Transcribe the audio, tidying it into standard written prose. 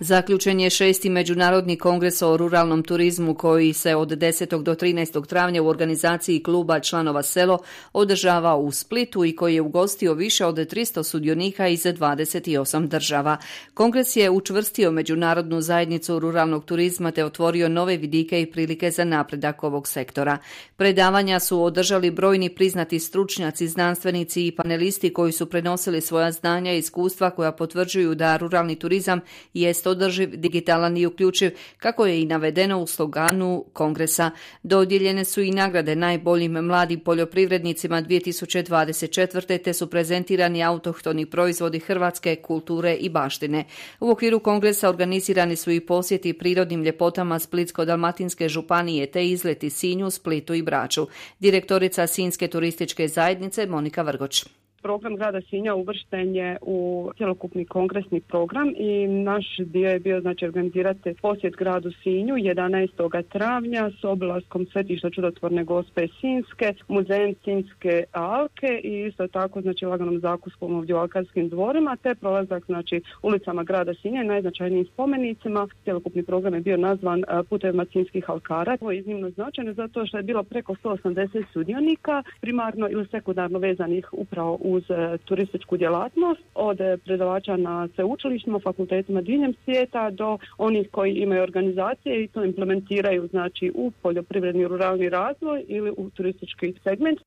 Zaključen je 6. Međunarodni kongres o ruralnom turizmu koji se od 10. do 13. travnja u organizaciji kluba članova Selo održava u Splitu i koji je ugostio više od 300 sudionika iz 28 država. Kongres je učvrstio međunarodnu zajednicu ruralnog turizma te otvorio nove vidike i prilike za napredak ovog sektora. Predavanja su održali brojni priznati stručnjaci, znanstvenici i panelisti koji su prenosili svoja znanja i iskustva koja potvrđuju da ruralni turizam jest održiv, digitalan i uključiv, kako je i navedeno u sloganu kongresa. Dodijeljene su i nagrade najboljim mladim poljoprivrednicima 2024. te su prezentirani autohtoni proizvodi hrvatske kulture i baštine. U okviru kongresa organizirani su i posjeti prirodnim ljepotama Splitsko-dalmatinske županije te izleti Sinju, Splitu i Braču. Direktorica Sinjske turističke zajednice Monika Vrgoč. Program grada Sinja uvršten je u cjelokupni kongresni program i naš dio je bio organizirati posjet gradu Sinju 11. travnja s obilaskom svetišta Čudotvorne Gospe Sinjske, muzejem Sinjske alke i isto tako laganom zakuskom ovdje u alkarskim dvorima te prolazak ulicama grada Sinja i najznačajnijim spomenicima. Cjelokupni program je bio nazvan Putevima Sinjskih alkara. To je iznimno značajno zato što je bilo preko 180 sudionika, primarno ili sekundarno vezanih upravo uz turističku djelatnost, od predavača na sveučilištima, fakultetima diljem svijeta do onih koji imaju organizacije i to implementiraju u poljoprivredni ruralni razvoj ili u turistički segment.